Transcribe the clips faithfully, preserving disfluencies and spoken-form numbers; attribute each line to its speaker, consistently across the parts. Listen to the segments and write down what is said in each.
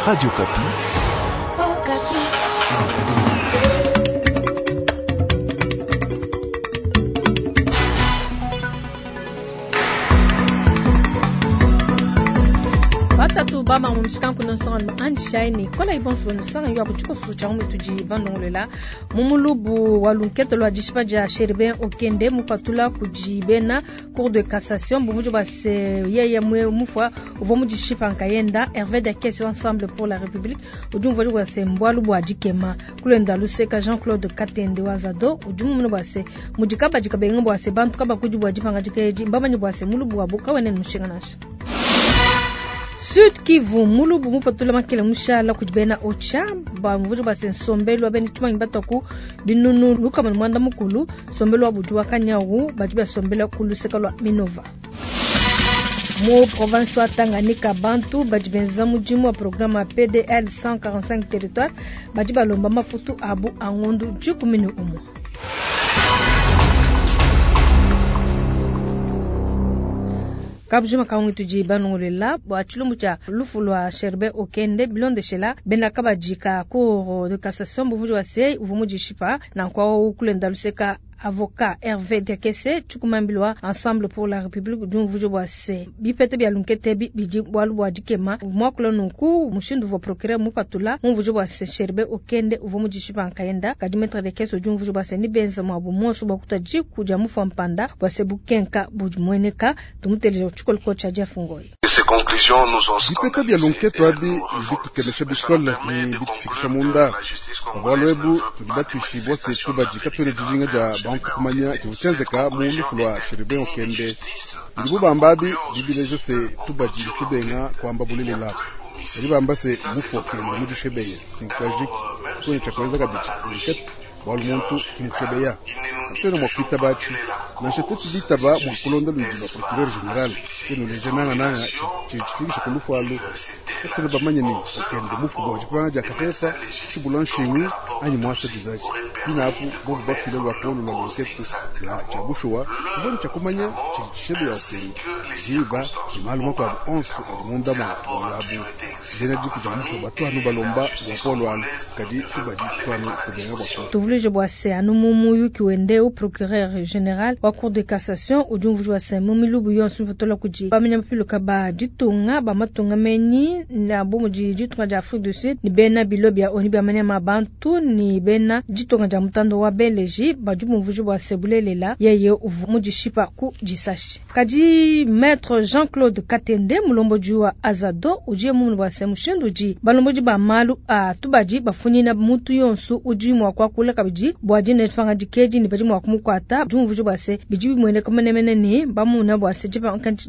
Speaker 1: Radio Okapi.
Speaker 2: Batatu bama mu mishikanku nsonga andishayi ne kola ibonso nsonga yo akutshikoso tshia mutudi bandongolela mu mulubu wa lunkete lwa dishipa dia Chérubin Okende mupatula kudi bena cour de cassation bumuju base yeye mwe mufwa uvua mu dishipa nkayenda Hervé Diakiese Ensemble pour la République udi umvua bwase mbwalu bwa dikema kulenda luseka Jean-Claude Katende wazado udi mumuna bwase mudikaba dikabenga bwase bantu kabakudi bwa dipanga dikeji mbamanyi bwase mulubu wa bukawene mushinga nasha Sud Kivu mulubu mupatula makele mushala kudi bena ocha ba mvujo base nsombelu abeni tumanyi bataku binunu lukama mwanda mukulu sombelu abudu wakanyawu badi basombela kuluseka lwa Minova mu province wa Tanganyika bantu badi benza mudimu wa programme P D L cent quarante-cinq territoire badi balomba mafutu abu angondu dikumi ne umwe. Kabujima kaungi tuji banongolela bwa chilumbu cha lufu lwa Chérubin Okende bilondeshela bena kabajika cour de cassation buvuji wa sei uvumu jishipa na kwa ukulenda luseka avocat Hervé Diakiese chukumambilwa Ensemble pour la République d'umvujo bwa se bipete bya lunkete bidi bwalu bwa dikema mwakula nunku mushindu vo procureur mupatula umvujo bwa se Chérubin Okende uvumu jishipa nkayenda kadi maître Diakiese d'umvujo bwa se nibenza mwabu monso bwa kutaji kuja mufa mpanda bwa se bukenka bujimweneka tumuteleje chukolko cha Jeff Ngoi.
Speaker 3: Ces conclusions nous ont
Speaker 4: bipete bya lunkete abi bitukelesha bikole ni bitufikisha munda bwalwebu tudibatushibwa se tubaji katwele dijinga ja bantu kumanya kibuchenzeka mu lufu lwa Chérubin Okende bilibubambabi bibileje se tubaji bitubenga kwamba bulelela bilibamba se mufu Okende mudishebeye sinkajik kwenye chakweza kabiti lunkete bwalu muntu kimushebeya atwele mwakwita bachi nansha tetu bitaba mwakulonda lwiji lwa procureur general keno leje nanga nanga chichifikisha kulufu alu atwele bamanye ni Okende mufu bwa chipanga ja katefa chibula nshingu anyi mwasa dizachi binapu bobu bafile lwa kolo lwa lunkete la chabushuwa kubona chakumanya chichishebe ya Okende jiba jimalu makwabu onso ali munda mwa bwalabu jena jiku ja mufu batwanu balomba bwa polo alu kadi tubaji twanu kubenga bwa kolo.
Speaker 2: Tuvulije bwa se anu mumu yuki wende u procureur général wa cour de cassation ujumvuji wa se mumilubu yonso mpatola kuji bamenya mapiluka ba ditunga ba matunga menyi na bomu di ditunga dia Afrique du Sud ni bena bilo bia oni bia manya mabantu ni bena ditunga dia mutando wa Belgique ba jumvuji bwa se bulelela yeye uvu mudishipa ku disashi kadi maître Jean-Claude Katende mulombo wa Azado ujiye mumu bwa se mushindu ji balombo ba malu a tubaji bafunyina mutu yonso uji mwa kwa kula kabiji bwa jine fanga dikeji ni baji mwa kumukwata jumvuji bwa se biji bimwene kamenemene ni bamuna bwa se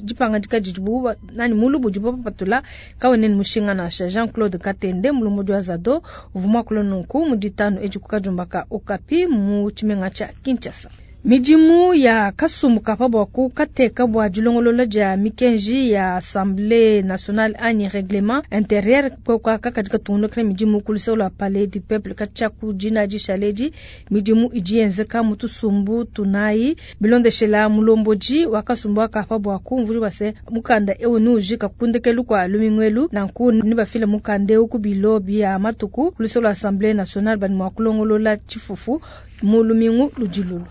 Speaker 2: jipanga dikaji jibu nani mulubu jibu patula kawene ni mushinga na Jean-Claude Katende mulombo wa Azado uvumwa kulonunku muditano ejikukajumbaka Okapi mu chimenga cha Kinshasa. Midimu ya kasumbuka pabwaku kateka bwa dilongolola dia mikenji ya Assemblée nationale anyi règlement intérieur kwa katika tungo kre midimu kulisa la palais du peuple kacha ku jina di shaleji midimu ijienzeka mutusumbu tunai bilondeshela mulomboji wa kasumbu aka pabwaku mvuri base mukanda ewo nujika kundekelu kwa lumingwelu nanku nibafile mukande uku bilo bia matuku kulisa la Assemblée nationale bani mwakulongolola chifufu mulumingu lujilulu.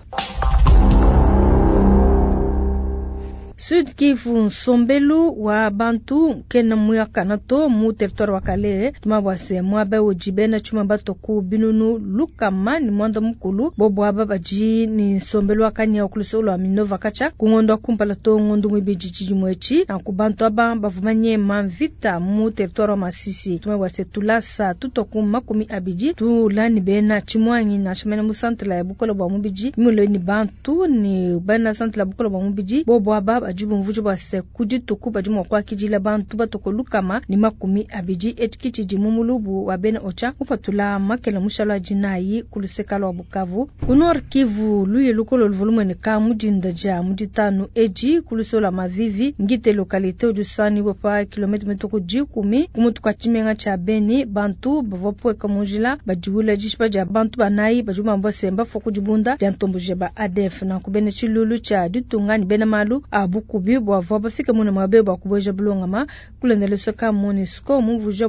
Speaker 2: Sud Kivu nsombelu wa bantu kena muyakana to mu territoire wa Kalehe tumabwase mwabe ojibena chuma batoku binunu lukama ni mwanda mukulu bobo aba baji ni nsombelu wa kanya okuluso lwa Minova kacha kungondo kumpala to ngondo mwibiji chijimwechi na kubantu aba bavumanye mamvita mu territoire wa Masisi tumabwase tulasa tutoku makumi abiji tulani bena chimwanyi na chimene mu centre la bukolo bwa mubiji mule ni bantu ni bena centre la bukolo bwa mubiji bobo aba ajibu mvujo bwase kujituku bajimu kwa kijila bantu batoko lukama ni makumi abiji etikichi jimumulubu wa bena ocha upatula makela mushala jinayi kuluseka lwa Bukavu kunor Kivu luye lukolo volumene ka mujinda ja mujitanu eji kulusola mavivi ngite localité ojusani bopa kilometre metoko jikumi kumutuka chimenga cha Beni bantu bavopweka mujila bajiwula jishipa ja bantu banayi bajuma mbose mbafo kujibunda ja ntombuje ba A D F na kubene chilulu cha ditunga ni bena malu abu bukubi bwavwa bafike mune mwabe bwa kubueja bulongama kulenda luseka MONUSCO mumvuja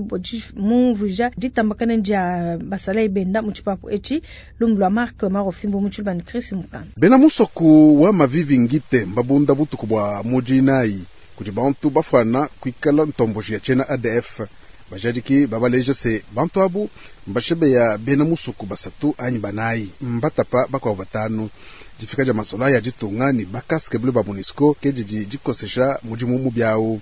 Speaker 2: mumvuja ditambakana dia basalayi benda mu tshipapu etshi lumbu lwa Marc Marofimbo mu tshilubani Chris Mukanda.
Speaker 4: Bena musoku wa mavivi ngite mbabunda butuku bwa mujinayi kudi bantu bafwana kuikala ntomboji ya tshena A D F. Bajadiki babaleja se bantu abu mbashebeya bena musuku basatu anyi banayi mbatapa bakwa batanu. Difika dia masola ya ditunga ni bakaske bleu ba MONUSCO ke didi dikosesha mudimu mubiawu.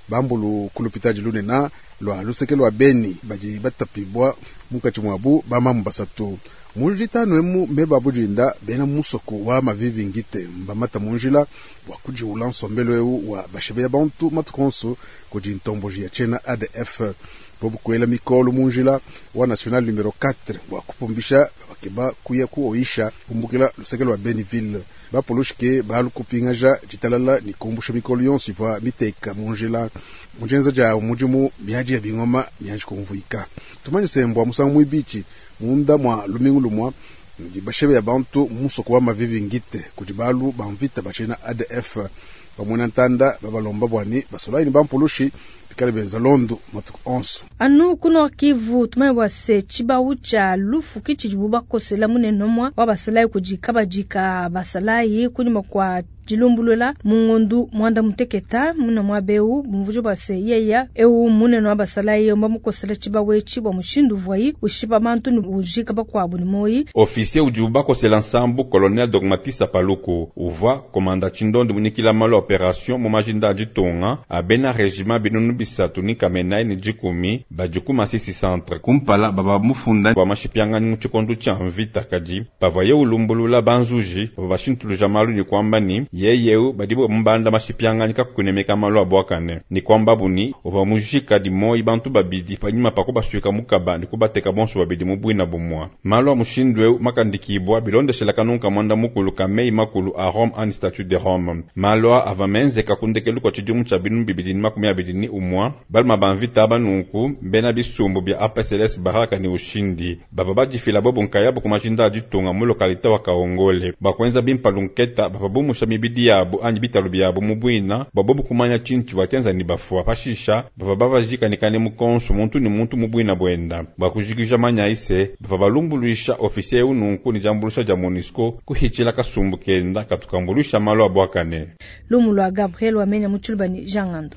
Speaker 4: Bambulu kulupita dilunena lwa luseke lwa Beni badi batapibwa munkatshi mwabu bamamu basatu. Mu ditanu emu meba budinda bena musoku wa mavivi ngite mbamata munjila bwa kujiula nsombelo eu wa bashebeya bantu matukonso kudi ntomboji ya tshena A D F. Bobu kuela mikolo munjila wa national numero quatre bwa kupumbisha bakeba kuya kuoisha kumbukila luseke lwa Beniville. Bapolushike balu kupingaja ditalala ni kumbusha mikolo yonso ivua miteka munjila. Mujenza ja mudimu miaji ya bingoma miaji kumvuika. Tumanye sembwa musangu mwibichi munda mwa lumingu lumwa ndi bashebe ya bantu musoko wa mavivi ngite kudi balu bamvita bachena A D F. Bamwena ntanda babalomba bwani basolai ni bampulushi bikale benza londo matuku onso.
Speaker 2: Anu kuno Kivu tumanye bwa se tshibawu tshia lufu ki tshidi bakosela munene mwa wa basalai kudi kabadika basalai kunyuma kwa dilumbulula mungondu mwanda muteketa muna mwa beu mvujo bwa se yeya eu munene wa basalai mba mukosela tshibawu etshi bwa mushindu vuai ushipa bantu ni ujika bakwabu ni moyi.
Speaker 1: Officier udi bakosela nsambu colonel Dogmatisa Paluku uvua komanda tshindondo munikila malo opération mu majinda ditunga abena régiment binunu bisatu ni kamenai ni dikumi bajikuma sisi centre kumpala baba mufunda wa mashipiangani mu tshikondo tshia mvita kadi pavaye ulumbulula banzuji bashintuluja malu ni kwamba ni yeyeu badibo mbanda mashipiangani kakunemeka malu abwakane ni kwamba buni ova mujika di moyi bantu babidi panyuma pako basuika mukaba ni kubateka bonso babidi mubwina bumwa malu a mushindu eu makandikibwa bilondeshela kanunka mwanda mukulu kamei makulu a Rome an statut de Rome malu ava menzeka kundekelu kwa tshidimu tshia binu bibidi ni makumi abidi ni umwa baluma banvita banunku bena bisumbu bia A P S L S Baraka ni ushindi bava badifila bobo nkayabu kumajinda aditunga mu lokalite wa Kaongole bakwenza bimpa lunketa bava bumusha mibidi yabo anyi bitalu byabo mubwina babobu kumanya tshintu batenza ni bafua pashisha bava babajikanikane mukonso muntu ni muntu mubwina bwenda bakujikija manya ise bava balumbuluisha ofisier ununku ni jambulusha ja MONUSCO kuhichila kasumbu kenda katukambulusha malo abwakane.
Speaker 2: Lumu lwa Gabriel Wamenya Mutshilubani Jean Ngando.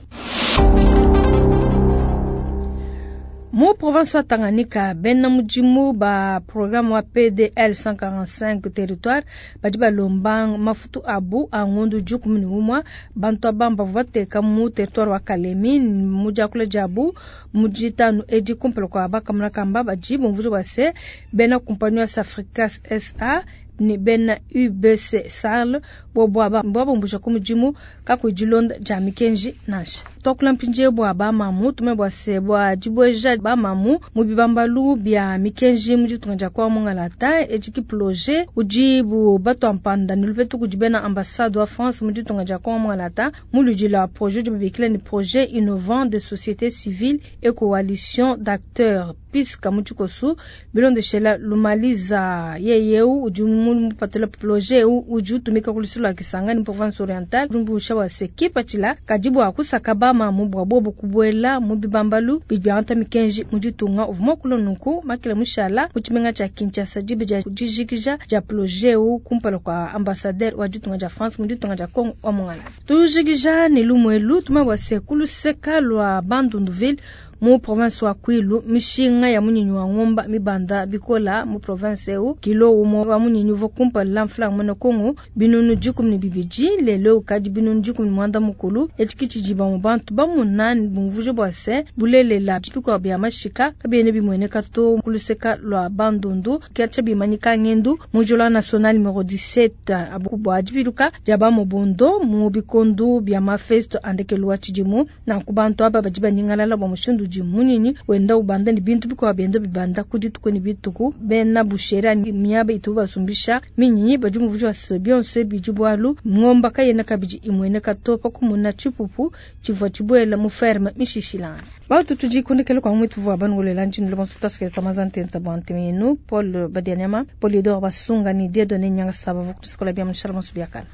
Speaker 2: Mu province wa Tanganyika bena mudimu ba programme wa P D L cent quarante-cinq territoire badi balomba mafutu abu a ngondu dikumi ne umwa bantu aba bavua bateka mu territoire wa Kalemi mu diakula diabu mu ditanu edi kumpala kua bakamuna kamba badi bumvuija bua se bena compagnie ya Safricas S A ni bena U B C S A L bobo aba mbuja ku mudimu kakudilonda dia mikenji nansha. Twakula mpindie bua bamamu tume bua se bua dibueja bamamu mu bibambalu bia mikenji mu ditunga dia kwa Mongalata etshi projet udi bu batwa mpanda ni lupetu kudi bena ambassade wa France mu ditunga dia kwa Mongalata mu ludi la projet du bibikila ni projet innovant de société civile et coalition d'acteurs puisque mu tshikosu bilondeshela lumaliza yeyeu udi mupatula projet udi utumika ku lusulu lwa Kisangani province orientale lumbusha wa sekipa tshila kadi bua kusaka bamamu bua bobo kubuela mu bibambalu bidi mikenji mu ditunga uvuma kulo nunku makila mushala mu tshimenga tshia Kinshasa dibe dia dijikija dia projet u kumpala kwa ambassadeur wa ditunga dia France mu ditunga dia Congo wa Mongala. Tujikija ne lumwelu tuma bua se kuluseka lwa Bandunduville mu province wa Kwilu mishinga ya munyinyi wa ngomba mibanda bikola mu province eu kilo umo wa munyinyi uvo kumpala la mfula mwene Kongo binunu dikumi ne bibidi lelo kadi binunu dikumi ne mwanda mukulu etshi tshidiba mu bantu bamunani bumvuje bua se bulelela bikwa bya mashika kabiene bimweneka to kuluseka lwa Bandundu kiacha bimanyika ngendu mu jola national numero dix-sept abu bua dibiluka dia ba mobondo mu bikondo bya mafesto andekelwa tshidimu na kubantu aba badi banyingalala bwa mushindu di munyinyi wenda ubanda ni bintu bikwa byenda bibanda kudi tukoni bituku bena bushera ni miaba itu basumbisha minyinyi badi muvujo wa byonse bijibwalu ngomba kayena kabidi imwene katopa kumuna chipupu chivwa chibwela mu ferme mishishilana batu tujikundikele kwa mwitu vwa bangolela njini le bonso taske tamazante ntabante minu Paul Badianyama Polidor Basunga ni Dieudonné Nyanga Saba vokutuskola bya mushala bonso byakala.